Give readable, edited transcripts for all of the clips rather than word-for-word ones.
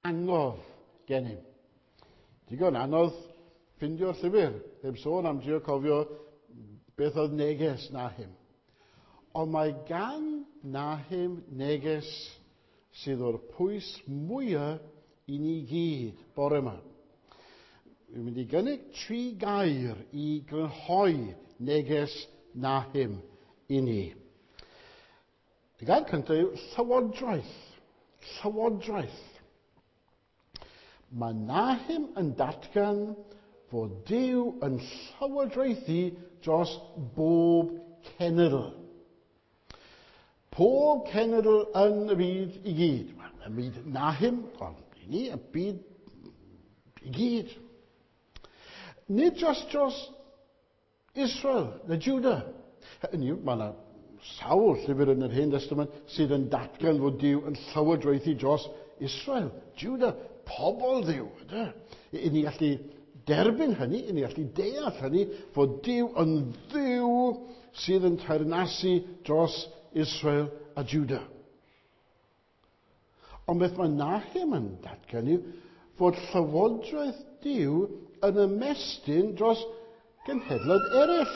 Angof gennym. Digon anodd ffindio'r llyfr, heb sôn am drio cofio beth oedd neges Nahum. Ond mae gan Nahum neges sydd o'r pwys mwyaf i ni gyd bore yma. Dwi'n mynd i gynnig 3 gair i grynhoi neges Nahum i ni. Y gair cyntaf yw llywodraeth. Llywodraeth. Mae Nahum yn datgan fod Duw yn llywodraethu dros bob cenedl. Pob cenedl yn y byd i gyd. Wel, y byd Nahum, ond i ni, y byd i gyd. Nid just dros Israel neu Judah. Hynny yw, mae yna sawl llyfr yn yr Hen Testament sydd yn datgan fod Duw yn llywodraethu dros Israel, Judah, pobl Dduw. Ydy? I ni allu derbyn hynny, i ni allu deall hynny, fod Duw yn Dduw sydd yn teyrnasu dros Israel a Judah. Ond beth mae Nahum yn datgan yw fod llywodraeth Duw yn ymestyn dros genhedloedd eraill,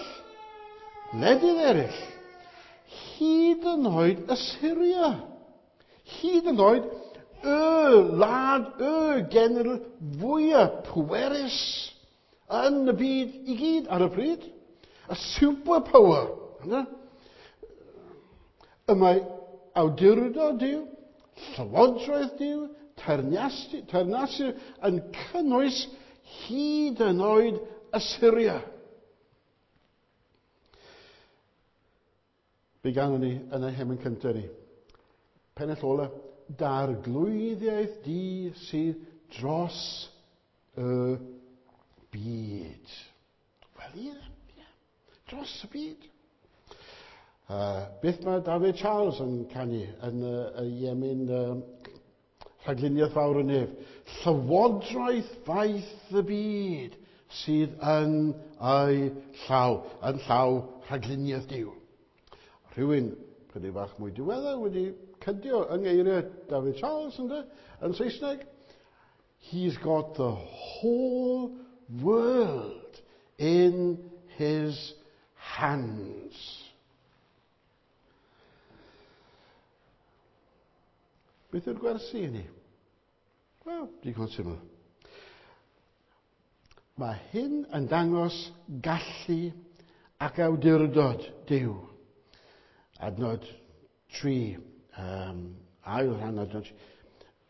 gwledydd eraill, hyd yn oed Assyria, hyd yn oed y wlad, y genedl fwyaf pwerus yn y byd i gyd ar y pryd, y superpower. Yna. Y mae awdurdod Duw, llywodraeth Duw, teyrnasu yn cynnwys hyd yn oed Assyria. Be gawn ni yn y hemyn cyntaf ni? Pennill ola, darglwyddiaeth di sydd dros y byd. Wel ie, ie, dros y byd. Beth mae David Charles yn canu yn y emyn Rhagluniaeth Fawr y Nef? Llywodraeth faith y byd sydd yn ei llaw, yn llaw rhagluniaeth Duw. Rhywun chydig bach mwy diweddar wedi cydio yng ngeiriau David Charles ynde, yn Saesneg. He's got the whole world in his hands. Beth yw'r gwersi i ni? Wel, digon syml. Mae hyn yn dangos gallu ac awdurdod Duw. Adnod 3, ail rhan adnod 3.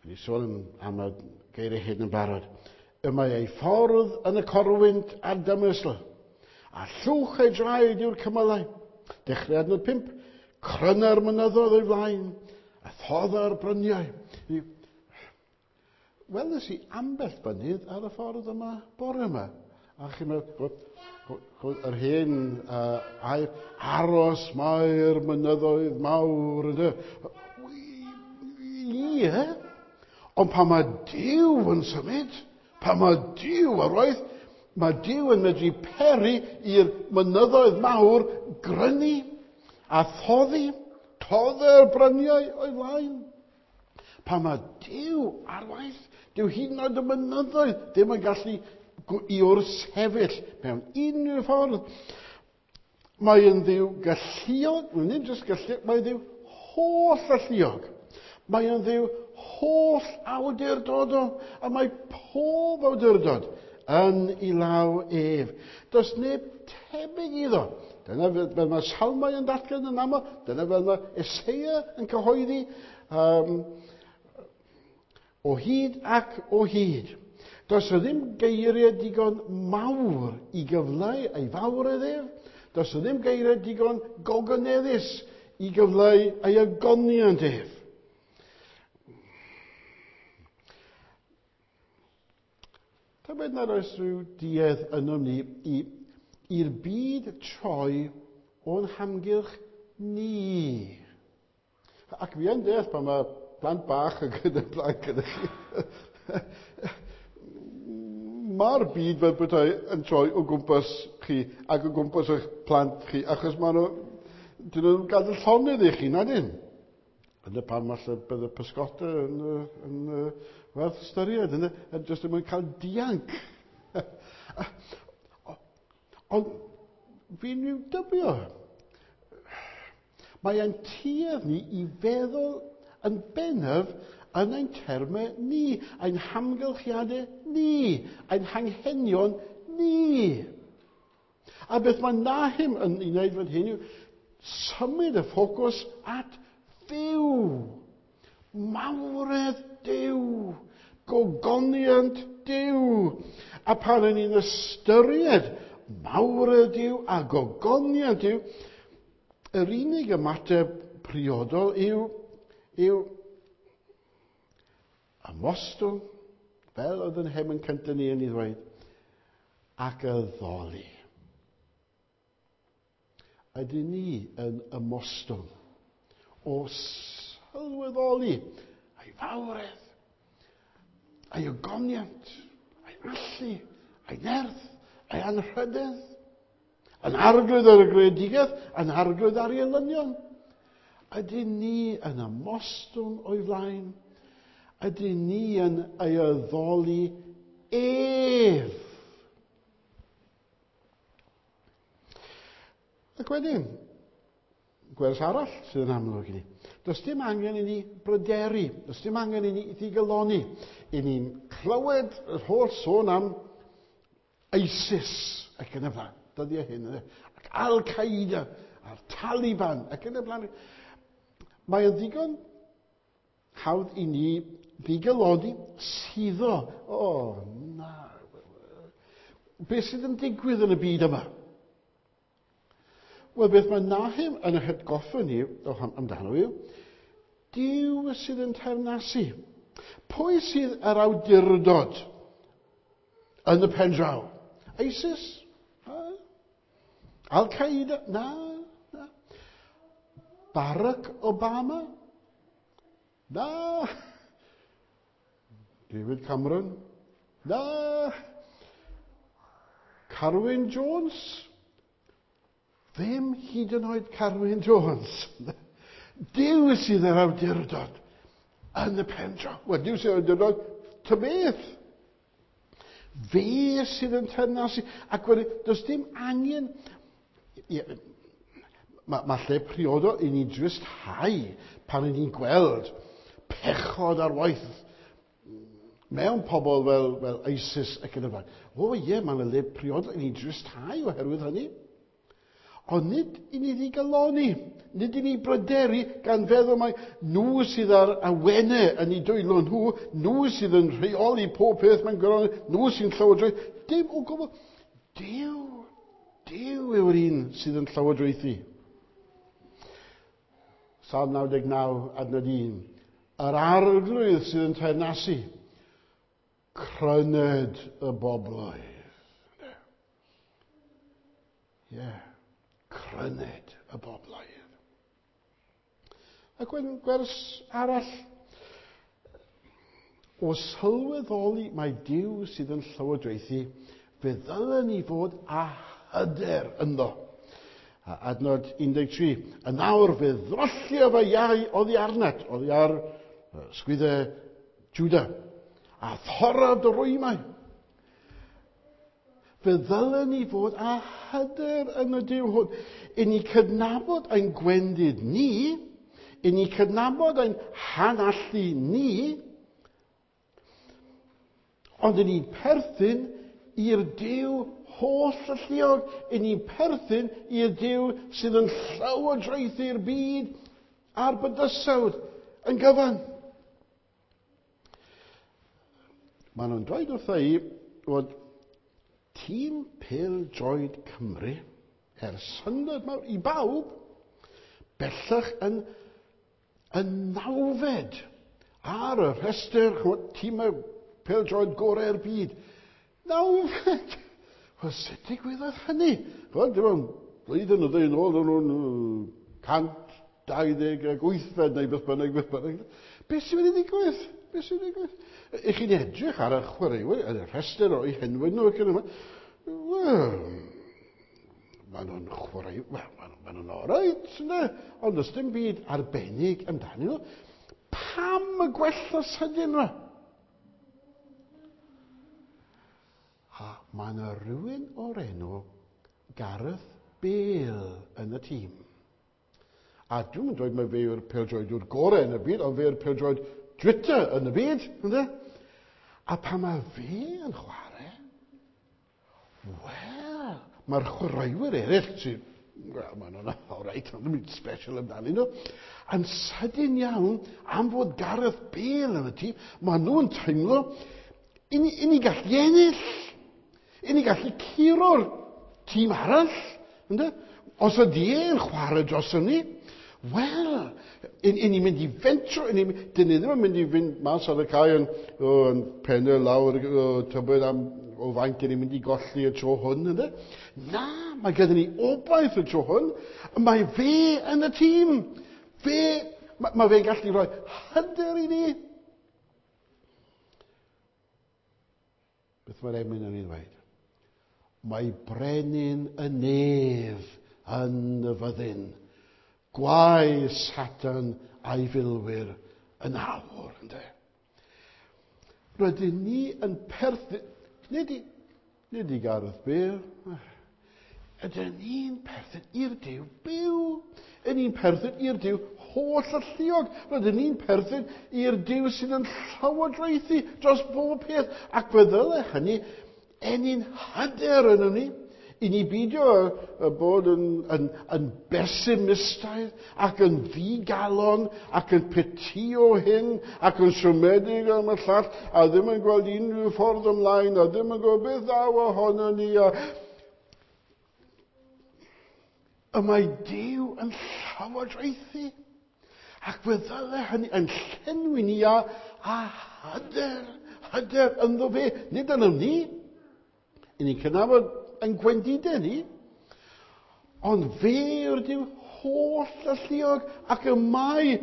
Wedi sôn am y geiriau hyn yn barod. Y mae ei ffordd yn y corwynt a'r dymysl, a llwch ei draed yw'r cymylau. Dechrau adnod 5, cryna'r mynyddoedd o'i flaen, a thodda'r bryniau. Weles i ambell fynydd ar y ffordd yma bore yma. A chi'n meddwl, yr hen air, aros mae'r mynyddoedd mawr. Ynddo? Ie, ond pan mae Duw yn symud, pan mae Duw ar waith, mae Duw yn medru peri i'r mynyddoedd mawr grynu a thoddi, toddi'r bryniau o'i flaen. Pan mae Duw ar waith, dyw hyd yn oed y mynyddoedd ddim yn gallu i wrthsefyll mewn unrhyw ffordd. Mae yn Dduw galluog, nid jyst galluog, mae'n Dduw holl alluog. Mae yn Dduw holl awdurdodol, a mae pob awdurdod yn ei law ef. Does neb tebyg iddo. Dyna fel mae Salmau yn datgan yn aml, dyna fel mae Eseia yn cyhoeddi, o hyd ac o hyd. Does yna ddim geiriau digon mawr i gyfleu ei fawredd ef. Does yna ddim geiriau digon gogoneddus i gyfleu ei ogoniant ef. Tybed nad oes rhyw duedd ynom ni i'r byd troi o'n hamgylch ni. Ac fi yn deall pan mae plant bach yn gyda plant gyda chi. Mae'r byd fel petai yn troi o gwmpas chi ac o gwmpas eich plant chi, achos maen nhw, dyn nhw'n gadael llonydd i chi, nad ydyn? Yna pam falle bydd y pysgota yn werth ystyried, yna, jyst yn mwyn cael dianc. Ond fi'n rhyw dybio. Mae ein tuedd ni i feddwl yn bennaf yn ein termau ni, ein hamgylchiadau ni, ein hanghenion ni. A beth mae Nahum yn ei wneud fan hyn yw symud y ffocws at Dduw. Mawredd Duw. Gogoniant Duw. A pan y'n ni'n ystyried mawredd Duw a gogoniant Duw, yr unig ymateb priodol yw ymostwng, fel oedd yn hemyn cyntaf ni yn ei ddweud, ac addoli. Ydyn ni yn ymostwng o sylweddoli ei fawredd, ei ogoniant, ei allu, ei nerth, ei anrhydedd, yn arglwydd ar y greadigaeth, yn arglwydd ar ei elynion. Ydyn ni yn ymostwng o'i flaen? Ydyn ni yn ei addoli ef? Ac wedyn, gwers arall sydd yn amlwg i ni. Does dim angen i ni bryderu, does dim angen i ni ddigalonni. I ni'n clywed yr holl sôn am ISIS ac yn y blaen, dyddiau hyn, ac Al-Qaeda a'r Taliban ac yn y blaen. Mae o'n ddigon hawdd i ni ddigalonni, suddo. O, na. Beth sydd yn digwydd yn y byd yma? Wel, beth mae Nahum yn yr hatgoffa ni amdano yw, Duw sydd yn teyrnasu. Pwy sydd yr awdurdod yn y pen draw? ISIS? Al-Qaeda? Na, na. Barack Obama? Na. David Cameron? Na. Carwyn Jones? Ddim hyd yn oed Carwyn Jones. Duw sydd yr awdurdod yn y pen draw. Wel, Duw sydd yr awdurdod, ta beth. Fe sydd yn teyrnasu. Ac wedyn, does dim angen... Ie, mae lle priodol i ni dristhau pan i ni'n gweld pechod ar waith mewn pobl fel ISIS ac yn y blaen. O ie, mae'n le priodol i ni dristhau oherwydd hynny. Ond nid i ni ddigalonni, nid i ni bryderu gan feddwl mai nhw sydd ar awenau yn eu dwylo nhw, nhw sydd yn rheoli pob peth mewn gwirionedd, nhw sy'n llywodraethu. Dim o gwbl. Duw, Duw yw'r un sydd yn llywodraethu. Salm 99, adnod 1. Yr arglwydd sydd yn teyrnasu, cryned y bobloedd. Ie, cryned y bobloedd. Ac wedyn gwers arall, o sylweddoli mai Duw sydd yn llywodraethu, fe ddylen ni fod â hyder ynddo. A adnod 13, yn awr fe ddrollio fy iau oddi arnat, oddi ar sgwyddau Juda, a thorra dy rwymau. Fe ddylen ni fod â hyder yn y Duw hwn. I ni cydnabod ein gwendid ni, i ni cydnabod ein hanallu ni, ond i ni'n perthyn i'r Duw holl alluog, i ni'n perthyn i'r Duw sydd yn llywodraethu'r byd a'r bydysawd yn gyfan. Maen nhw'n dweud wrtha i fod tîm pêl-droed Cymru, er syndod mawr i bawb, bellach yn nawfed ar y rhestr, ch'mod, tîmau pêl-droed gorau'r byd. Nawfed! Wel, sut digwyddodd hynny? Ch'mod, dim ond blwyddyn o ddwy yn ôl, o'n nhw'n 128fed neu beth bynnag, beth bynnag. Beth sy'n mynd i ddigwydd? Beth sy'n digwydd? Ych chi'n edrych ar y chwaraewyr, ar y rhestr o'u henwau nhw ac yn y blaen. Wel, Maen nhw'n chwarae, wel, maen nhw'n oreit, ynddo? Ond does dim byd arbennig amdanyn nhw. Pam y gwella sydyn nhw? A mae yna rhywun o'r enw Gareth Bale yn y tîm. A dwi'n mynd dweud mae fe yw'r pêl-droediwr gorau yn y byd, ond fe yw'r pêl-droed Twitter yn y byd, ynddo? A pan mae fe yn chwarae, wel, mae'r chwaraewyr eraill sy'n, wel, maen nhw'n all right, ond ddim special amdanyn nhw, yn sydyn iawn am fod Gareth Bale yn y tîm, maen nhw'n teimlo, i ni, i ni gallu ennill, i ni gallu curo'r tîm arall, ynddo? Os ydy e'n chwarae dros ni, wel, i, i ni'n mynd i fentro, i ni, dyn ni ddim yn mynd i fynd mas ar y cae yn, o, yn pennau lawr, o, tybed am o faint dyn ni'n mynd i golli y tro hwn, ynddo? Na, mae gyda ni obaith y tro hwn. Mae fe yn y tîm. Fe, mae, mae fe'n gallu rhoi hyder i ni. Beth mae'r emyn yn ei ddweud? Mae brenin y nef yn y fyddin. Gwae Satan a'i filwyr yn awr, ynddo. Rydyn ni yn perthyn... Nid i, nid i Gareth Bale. Ydyn ni'n perthyn i'r Duw byw. Ydyn ni'n perthyn i'r Duw holl alluog. Rydyn ni'n perthyn i'r Duw sydd yn llywodraethu dros bob peth. Ac fe ddyle hynny ennyn hyder yn ni. I ni beidio bod yn, yn, yn besimistaidd ac yn ddigalon ac yn petio hyn ac yn siomedig am y llall a ddim yn gweld unrhyw ffordd ymlaen a ddim yn gwybod beth ddaw ohono ni. A... Y mae Duw yn llywodraethu ac fe ddyle hynny yn llenwi ni a, a hyder, hyder ynddo fe, nid yno ni. I ni'n cydnabod yn gwendidau ni, ond fe yw'r Duw holl alluog ac y mae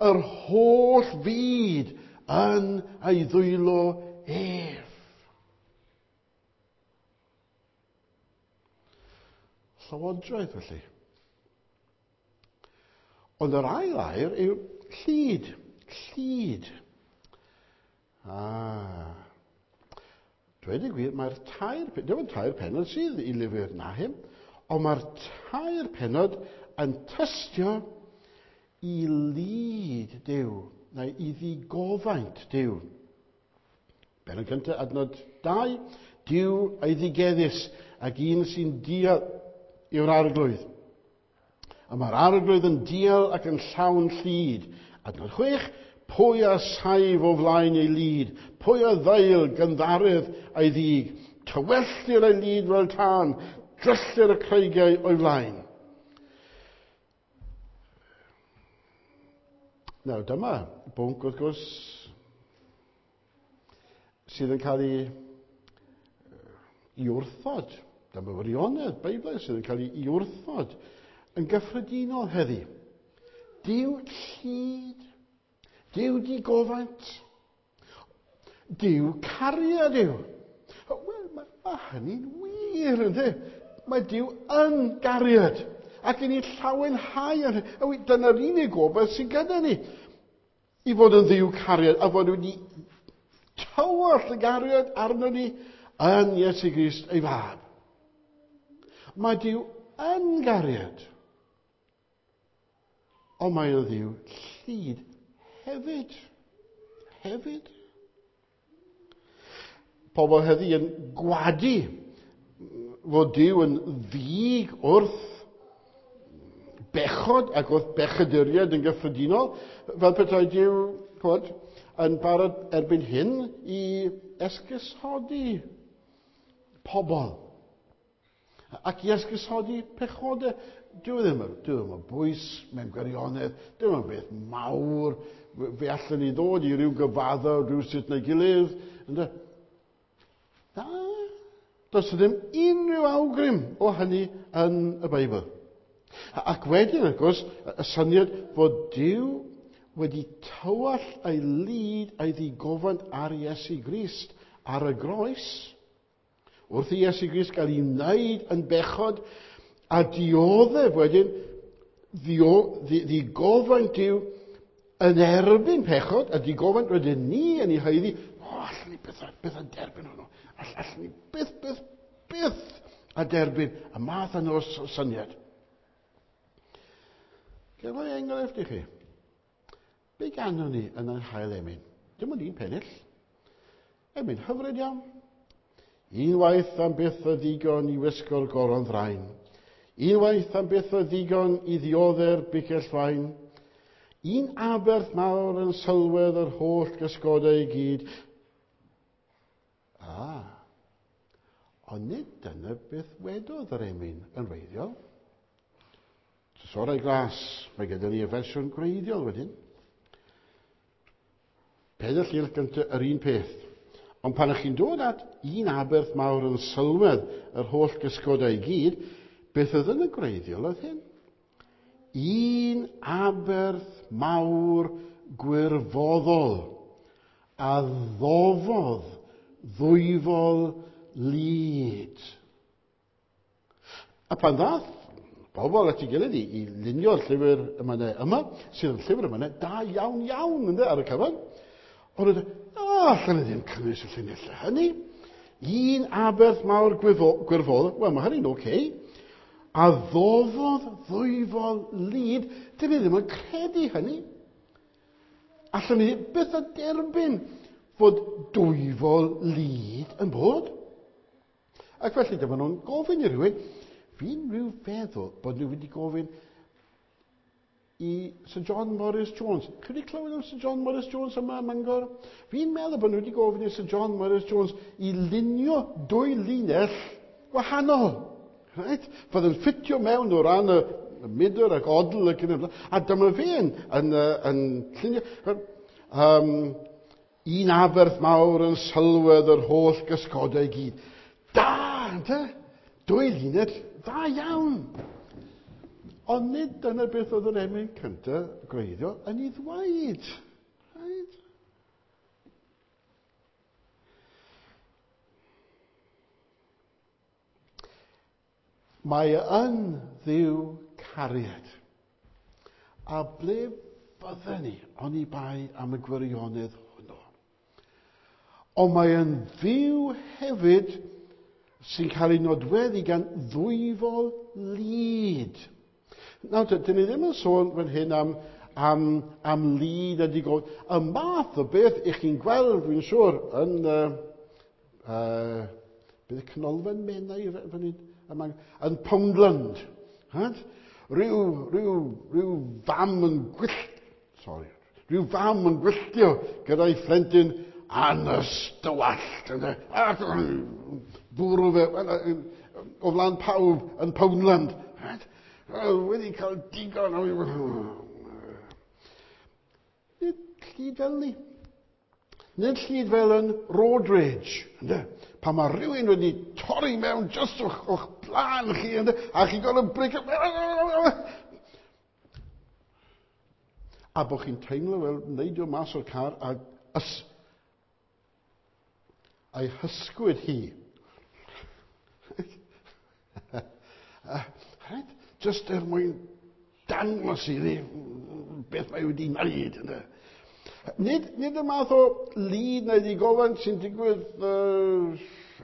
yr holl fyd yn ei ddwylo ef. Llywodraeth, felly. Ond yr ail air yw llid. Llid. Ah. Dweud y gwir, mae'r tair, dim ond tair pennod sydd i lyfr Nahum, ond mae'r tair pennod yn tystio i lid Duw, neu i ddigofaint Duw. Bennod cyntaf, adnod 2, Duw a'i ddigeddus ac un sy'n dial yw'r arglwydd. A mae'r arglwydd yn dial ac yn llawn llid. Adnod 6, pwy a saif o flaen ei lid? Pwy a ddail gynddaredd a'i ddig? Tywellir ei lid fel tân, dryllir y creigiau o'i flaen. Nawr dyma bwnc wrth gwrs sydd yn cael ei i wrthod. Dyma wirionedd Beiblau sydd yn cael ei wrthod yn gyffredinol heddi. Duw llid, Duw digofaint, Duw cariad yw. Wel, mae, mae hynny'n wir, ynddi? Mae Duw yn gariad. Ac i ni llawenhau ar hynny. Dyna'r unig gobaith sydd gyda ni. I fod yn Dduw cariad a fod wedi tywallt y gariad arno ni yn Iesu Grist ei fab. Mae Duw yn gariad. Ond mae o'n Dduw llid hefyd. Hefyd. Pobl heddi yn gwadu fod Duw yn ddig wrth bechod ac wrth bechaduriaid yn gyffredinol, fel petai Duw, chwod, yn barod erbyn hyn i esgusodi pobl. Ac i esgusodi pechodau. Dyw e ddim, dyw e ddim o bwys mewn gwirionedd, dyw e ddim beth mawr, fe allan ni ddod i ryw gyfaddo rhywsut neu gilydd. Ynde? Na, does ddim unrhyw awgrym o hynny yn y Beibl. Ac wedyn, wrth gwrs, y syniad fod Duw wedi tywallt ei lid a'i ddigofaint ar Iesu Grist ar y groes, wrth i Iesu Grist gael ei wneud yn bechod A dioddef wedyn ddigofaint Duw yn erbyn pechod, a digofaint rydyn ni yn ei haeddu, o, allwn ni byth, byth a derbyn hwnnw. Allwn ni byth, byth, byth a derbyn y math yna o syniad. Gefai enghraifft i chi. Be ganwn ni yn ein hail emyn? Dim ond un pennill. Emyn hyfryd iawn. Unwaith am byth o ddigon i wisgo'r goron ddrain. Unwaith am byth o ddigon i ddiodde'r bicell fain. Un aberth mawr yn sylwedd yr holl gysgodau i gyd. Ah, ond nid dyna beth wedodd yr emyn yn wreiddiol. Trysorau glas, mae gyda ni y fersiwn gwreiddiol wedyn. Pedair llinell gyntaf yr un peth. Ond pan ych chi'n dod at un aberth mawr yn sylwedd yr holl gysgodau i gyd, beth oedd yn y gwreiddiol oedd hyn? Un aberth mawr gwirfoddol a ddofodd ddwyfol lid. A pan ddath bobl at ei gilydd i lunio'r llyfr emynau yma, sydd yn llyfr emynau da iawn iawn ynddo, ar y cyfan, ond oedd, allan ni ddim cynnwys y llinellau hynny. Un aberth mawr gwirfoddol, wel mae hynny'n oce. Okay. A ddofodd ddwyfol lid, dyn ni ddim yn credu hynny. Allan ni byth a derbyn fod dwyfol lid yn bod. Ac felly dyma nhw'n gofyn i rhywun, fi'n rhyw feddwl bod nhw wedi gofyn i Sir John Morris Jones. Chi wedi clywed am Sir John Morris Jones yma ym Mangor? Fi'n meddwl bod nhw wedi gofyn i Sir John Morris Jones i lunio dwy linell wahanol. Right? Fydd yn ffitio mewn o ran y mydr ac odl ac yn y blaen. A dyma fe yn llunio. Un aberth mawr yn sylwedd yr holl gysgodau i gyd. Da, ynte? Dwy linell, dda iawn. Ond nid dyna beth oedd yr emyn cyntaf gwreiddiol yn ei ddweud. Right? Mae yn Dduw cariad. A ble bydden ni oni bai am y gwirionedd hwnnw? Ond mae yn Dduw hefyd sy'n cael ei nodweddu gan ddwyfol lid. Nawr, dyn ni ddim yn sôn fan hyn am lid a digon. Y math o beth ych chi'n gweld, dwi'n siŵr, yn bydd y canolfan Menai fan hyn, yn Poundland. Right? Rhyw fam yn gwyllt, sorry, rhyw fam yn gwylltio gyda'i phlentyn anystywallt. Ac bwrw fe o flaen pawb yn Poundland. Right? Wedi cael digon o... Nid llid fel ni. Nid llid fel yn road rage. Ynde? Pan mae rhywun wedi torri mewn jyst o'ch blaen chi, ynde? A chi'n gorfod break. A bod chi'n teimlo fel neidio mas o'r car a a'i hysgwyd hi. Right? Just er mwyn dangos iddi beth mae wedi wneud. Ynde? Nid y math o lid neu ddigofaint sy'n digwydd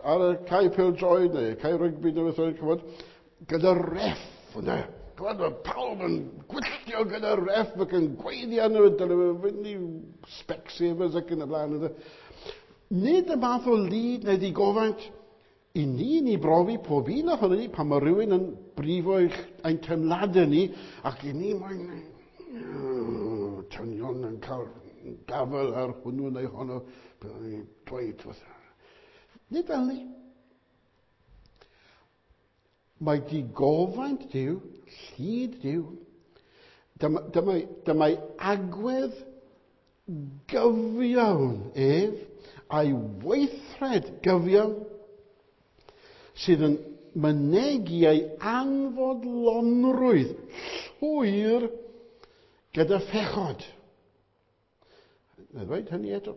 ar y cae pêl-droed neu y cae rygbi neu beth bynnag, ch'mod, gyda ref, ynde? Ch'mod, mae pawb yn gwylltio gyda ref ac yn gweiddi arno fe, dyle fe fynd i Specsavers ac yn y blaen, ynde? Nid y math o lid neu ddigofaint i ni ni brofi pob un ohono ni pan mae rhywun yn brifo ein teimladau ni ac i ni moyn tynion yn cael gafael ar hwnnw neu honno, byddwn ni'n dweud wrth. Nid fel ni. Mae digofaint Duw, llid Duw, dyma'i agwedd gyfiawn ef, a'i weithred gyfiawn, sydd yn mynegi ei anfodlonrwydd llwyr gyda phechod. Na ddweud hynny eto.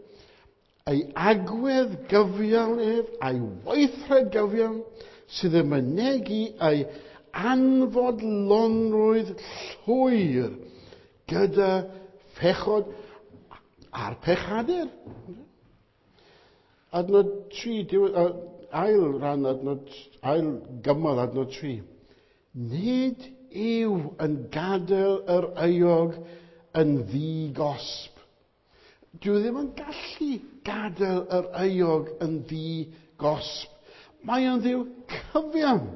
Ei agwedd gyfiawn ef, a'i weithred gyfiawn, sydd yn mynegi ei anfodlonrwydd llwyr gyda phechod a'r pechadur. Adnod 3, ail ran adnod, ail gymal adnod 3. Nid yw yn gadael yr euog yn ddi-gosb. Dyw e ddim yn gallu gadael yr euog yn ddi-gosb. Mae o'n Dduw cyfiawn.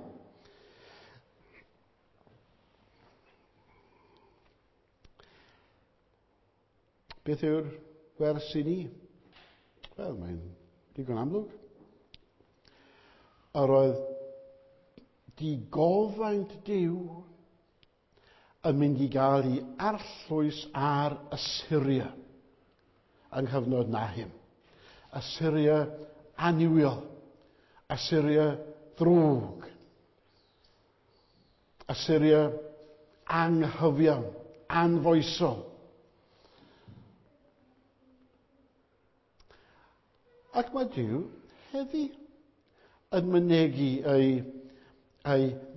Beth yw'r wers i ni? Wel, mae'n digon amlwg. Yr oedd digofaint Duw yn mynd i gael ei arllwys ar Assyria yng nghyfnod Nahum. Assyria annuwiol, Assyria ddrwg, Assyria anghyfiawn, anfoesol. Ac mae Duw heddi yn mynegi ei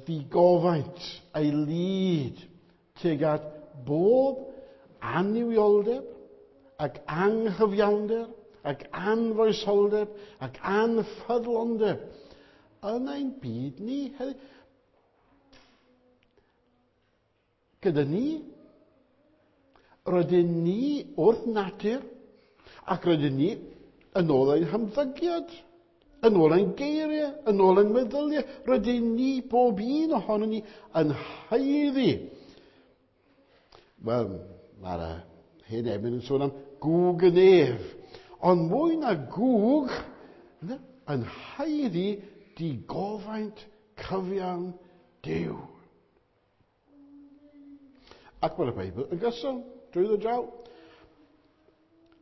ddigofaint, ei lid tuag at bob annuwioldeb ac anghyfiawnder ac anfoesoldeb ac anffyddlondeb yn ein byd ni heddi. Gyda ni, rydyn ni wrth natur ac rydyn ni yn ôl ein hymddygiad, yn ôl ein geiriau, yn ôl ein meddyliau. Rydyn ni, bob un ohonon ni, yn haeddu. Wel, mae'r hen emyn yn sôn am gŵg y nef. Ond mwy na gŵg, yn haeddu digofaint cyfiawn Duw. Ac mae'r Beibl yn gyson drwyddo draw.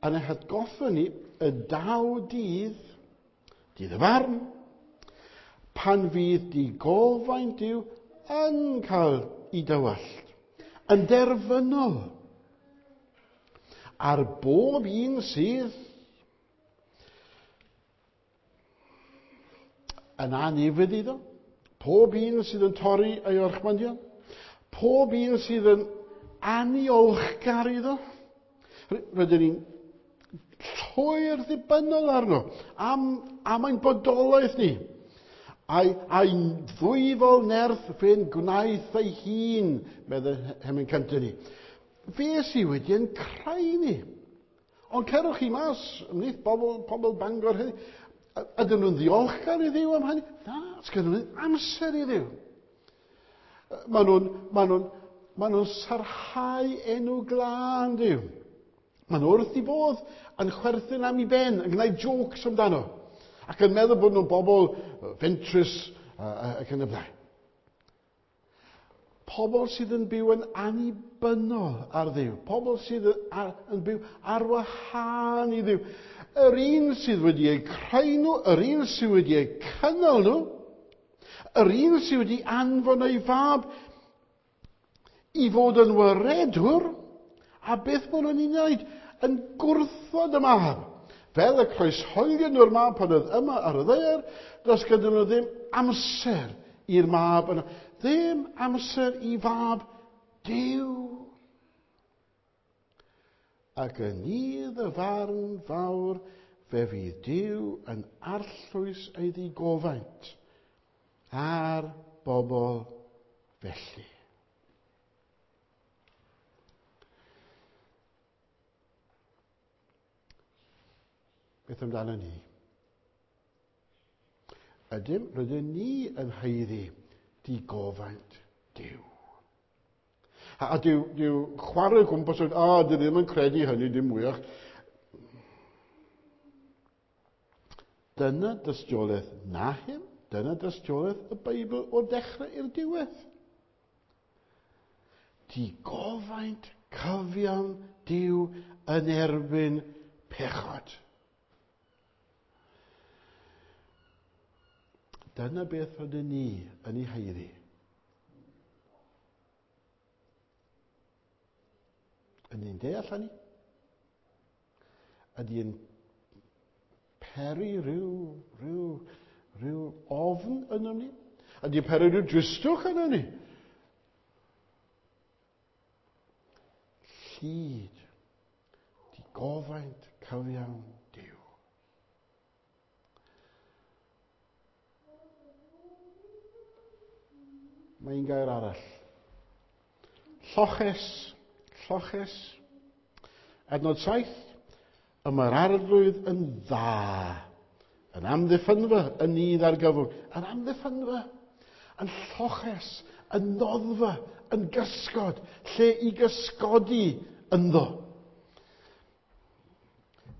Yn ei hatgoffa ni y daw dydd, dydd y farn, pan fydd digofaint Duw yn cael ei dywallt, yn derfynol, ar bob un sydd yn anufudd iddo, pob un sydd yn torri ei orchmynion, pob un sydd yn aniolchgar iddo. Rydyn ni'n llwyr ddibynnol arno am ein bodolaeth ni. A'i ddwyfol nerth fe'n gwnaeth ei hun, meddai Hemyn cyntaf ni. Fe sydd wedi ein creu ni. Ond cerwch chi mas ymhlith pobl Bangor heddiw. Ydyn nhw'n ddiolchgar i Dduw am hynny? Na, sgynnon nhw ddim amser i Dduw. Maen nhw'n sarhau enw glân Duw. Maen nhw wrth i bodd yn chwerthin am ei ben, yn gwneud jokes amdano, ac yn meddwl bod nhw'n bobl fentrus ac yn y blaen. Pobl sydd yn byw yn annibynnol ar Dduw. Pobl sydd yn byw ar wahân i Dduw. Yr un sydd wedi eu creu nhw, yr un sydd wedi eu cynnal nhw, yr un sydd wedi anfon ei fab i fod yn waredwr, a beth maen nhw'n ei wneud? Yn gwrthod y mab. Fel y croeshoelion nhw'r mab pan oedd yma ar y ddaear, does gyda nhw ddim amser i'r mab yna. Ddim amser i fab Duw. Ac yn nydd y farn fawr, fe fydd Duw yn arllwys ei ddigofaint ar bobl felly. Beth amdano ni? Ydym, rydyn ni yn haeddu digofaint Duw. A dyw chwarae o gwmpas, a dwi ddim yn credu hynny dim mwyach. Dyna dystiolaeth Nahum, dyna dystiolaeth y Beibl o'r dechrau i'r diwedd. Digofaint cyfiawn Duw yn erbyn pechod. Dyna beth rydyn ni yn ei haeddu. Yn ni'n deall hynny? Ydy yn peri rhyw ofn ynom ni? A di peri rhyw dristwch yna ni. Llid, digofaint cyfiawn Duw. Mae un gair arall. Lloches, lloches. Adnod 7, y mae'r Arglwydd yn dda, yn amddiffynfa, yn nydd argyfwng, yn amddiffynfa, yn lloches, yn noddfa, yn gysgod, lle i gysgodi ynddo.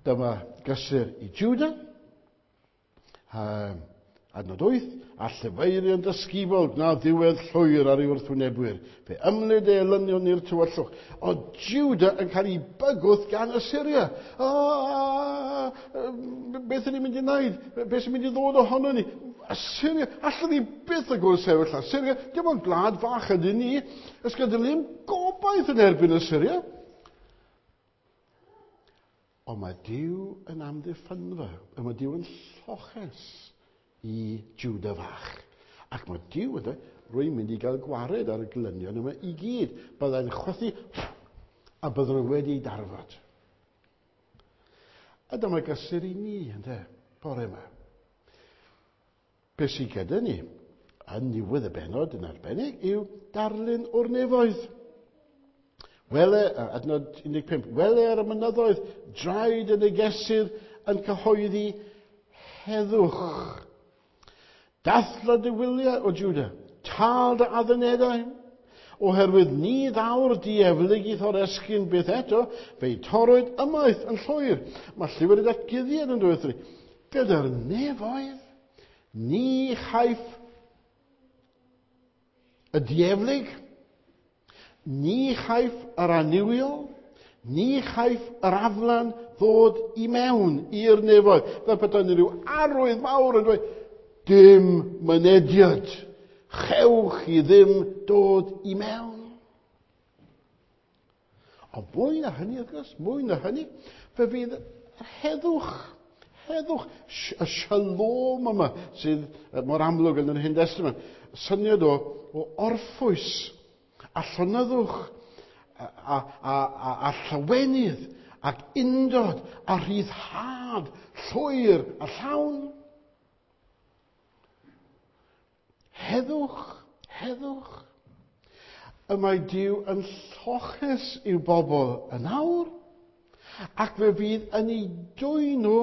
Dyma gysur i Judah, adnod 8, a llefaerion dysgubol gwna ddiwedd llwyr ar ei wrthwynebwyr. Fe ymlid ei elynion i'r tywyllwch. O Judah yn cael ei bygwth gan Assyria. O, beth ydyn ni'n mynd i wneud? Beth sy'n mynd i ddod ohono ni? Assyria, allwn ni byth y gwrthsefyll Assyria. Dim ond gwlad fach ydyn ni. Ys gyda ni ddim gobaith yn erbyn Assyria. Ond mae Duw yn amddiffynfa, a mae Duw yn lloches i Judah fach. Ac mae Duw yn dweud, rwy'n mynd i gael gwared ar y glynion yma i gyd. Byddai'n chwythu a byddwn nhw wedi darfod. A dyma gysur i ni, ynde, bore yma. Be sydd gyda ni yn niwedd y bennod yn arbennig yw darlun o'r nefoedd. Wele, adnod 15, wele ar y mynyddoedd, draed y negesydd yn cyhoeddi heddwch. Dathla dy wyliau o Judah, tal dy addunedau, oherwydd ni ddaw'r dieflig i thoresgyn byth eto, fe'i torrwyd ymaith yn llwyr. Mae llyfr y datguddiad yn dweud ni, gyda'r nefoedd, ni chaiff y dieflig, ni chaiff yr annuwiol, ni chaiff yr aflan ddod i mewn i'r nefoedd. Fel petai rhyw arwydd mawr yn dweud, dim mynediad, chewch chi ddim dod i mewn. Ond mwy na hynny, wrth gwrs, mwy na hynny, fe fydd yr heddwch, heddwch, y shalom yma sydd mor amlwg yn yr Hen Testament, syniad o orffwys, a llonyddwch, a llawenydd, ac undod, a rhyddhad, llwyr a llawn. Heddwch, heddwch. Y mae Duw yn lloches i'w bobl yn awr, ac fe fydd yn ei dwyn nhw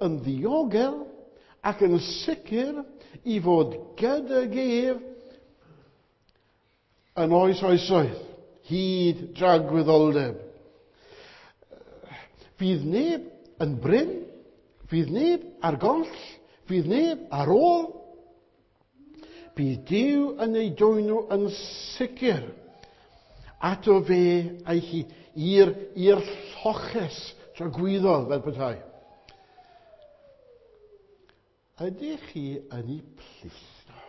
yn ddiogel ac yn sicr i fod gydag ef yn oes oesoedd, hyd dragwyddoldeb. Fydd neb yn brin, fydd neb ar goll, fydd neb ar ôl. Bydd Duw yn ei dwyn nhw yn sicr ato fe a'i hi i'r lloches tragwyddol fel petai. Ydych chi yn ei plith nhw?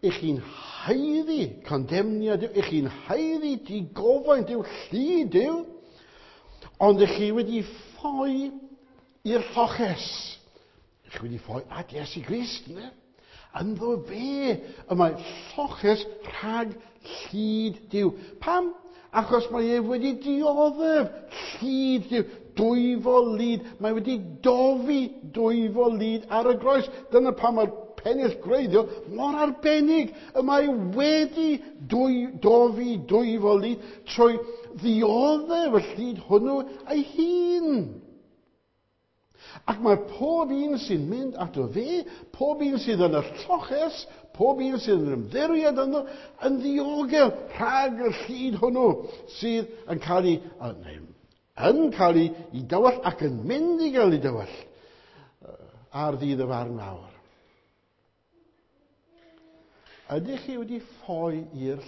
Ych chi'n haeddu condemniad Duw, ych chi'n haeddu digofaint Duw, llid Duw, ond ych chi wedi ffoi i'r lloches. Ych chi wedi ffoi at Iesu Grist, ynddo? Ynddo fe y mae lloches rhag llid Duw. Pam? Achos mae ef wedi dioddef llid Duw, dwyfol lid. Mae wedi dofi dwyfol lid ar y groes. Dyna pam mae'r pennill gwreiddiol mor arbennig. Y mae wedi dofi dwyfol lid trwy ddioddef y llid hwnnw ei hun. Ac mae pob un sy'n mynd ato fe, pob un sydd yn y lloches, pob un sydd yn ymddiried ynddo, yn ddiogel rhag y llid hwnnw sydd yn cael ei, yn cael ei dywall ac yn mynd i gael ei dywall ar ddydd y farn mawr. Ydych chi wedi ffoi i'r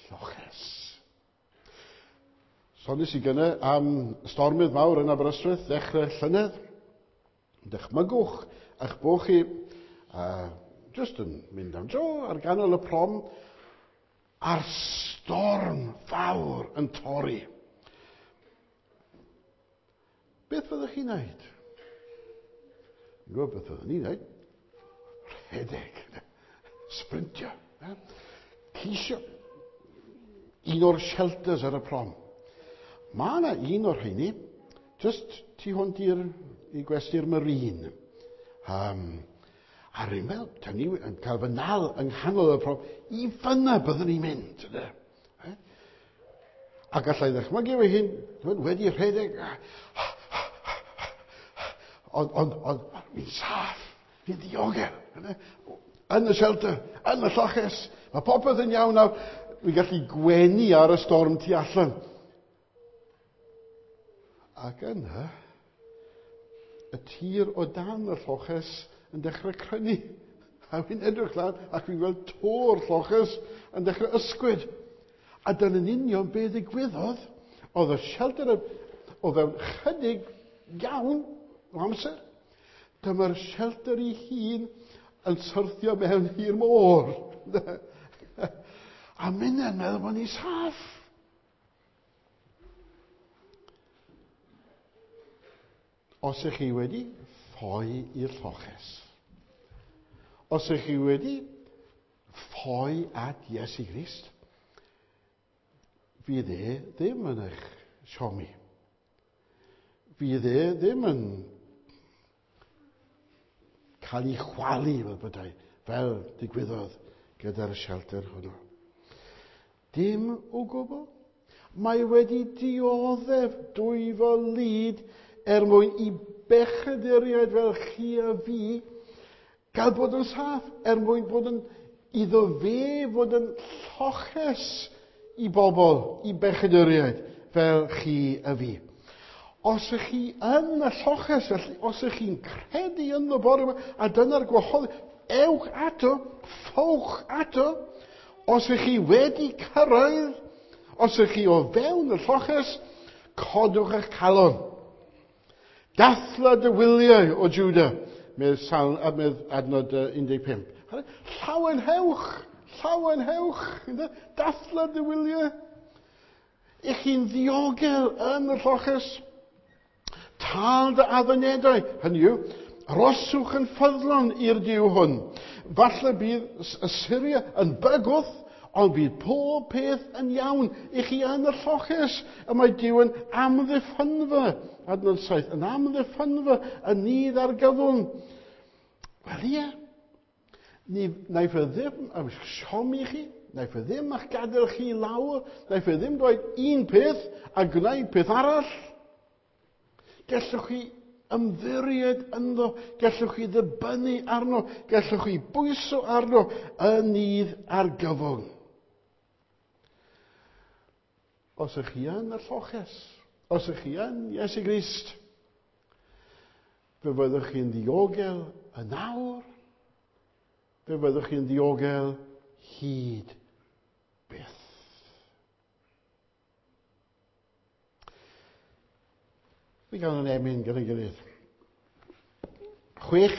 lloches? Soniais i gynne am stormydd mawr yn Aberystwyth ddechrau llynedd. Dychmygwch eich bod chi just yn mynd am dro ar ganol y prom a'r storm fawr yn torri. Beth fyddwch chi'n wneud? Dwi'n gwybod beth fyddwn ni'n wneud. Rhedeg. Sprintio. Ceisio un o'r shelters ar y prom. Mae yna un o'r rheini, just tu hwnt i'r i gwesty'r Marine. A rwy'n meddwl, da ni yn cael fy nal yng nghanol y prom, i fyna byddwn ni'n mynd. Yna. A gallai ddechmygu fy hun, wedi rhedeg, ond on, on, fi'n saff, fi'n ddiogel. Yna. Yn y shelter, yn y lloches, mae popeth yn iawn nawr. Fi'n gallu gwenu ar y storm tu allan. Ac yna, y tir o dan y lloches yn dechrau crynu. A fi'n edrych lan ac fi'n gweld to'r lloches yn dechrau ysgwyd. A dyna'n union be ddigwyddodd. Oedd y shelter o fewn chydig iawn o amser. Dyma'r shelter ei hun yn syrthio mewn i'r môr. A minnau'n meddwl bod ni'n saff. Os ych chi wedi ffoi i'r lloches, os ych chi wedi ffoi at Iesu Grist, fydd e ddim yn eich siomi. Fydd e ddim yn cael ei chwalu fel bydau, fel digwyddodd gyda'r shelter hwnnw. Dim o gwbl. Mae wedi dioddef dwyfo lid er mwyn i bechaduriaid fel chi a fi gael bod yn saff, er mwyn bod yn iddo fe fod yn lloches i bobl, i bechaduriaid fel chi a fi. Os ych chi yn y lloches, felly, os ych chi'n credu ynddo bore yma, a dyna'r gwahodd, ewch ato, ffowch ato. Os ych chi wedi cyrraedd, os ych chi o fewn y lloches, codwch eich calon. Dathla dy wyliau o Juda, medd, Salm, medd adnod 15. Llawenhewch, llawenhewch, dathla dy wyliau. Ych chi'n ddiogel yn y lloches. Tal dy addunedau, hynny yw, roswch yn ffyddlon i'r Duw hwn. Falle bydd Assyria yn bygwth, ond bydd pob peth yn iawn i chi yn y lloches. Y mae Duw yn amddiffynfa, adnod 7, yn amddiffynfa y nydd ar gyfwng. Wel ie, ni, naiff e ddim am siomi chi, naiff e ddim a'ch gadael chi lawr, naiff e ddim dweud un peth a gwneud peth arall. Gellwch chi ymddiried ynddo, gellwch chi ddibynnu arno, gellwch chi bwyso arno yn nydd argyfwng. Os ych chi yn y lloches, os ych chi yn Iesu Grist, fe fyddwch chi'n ddiogel yn awr, fe fyddwch chi'n ddiogel hyd byth. Mi gawn yn emyn gyda'n gilydd. 6,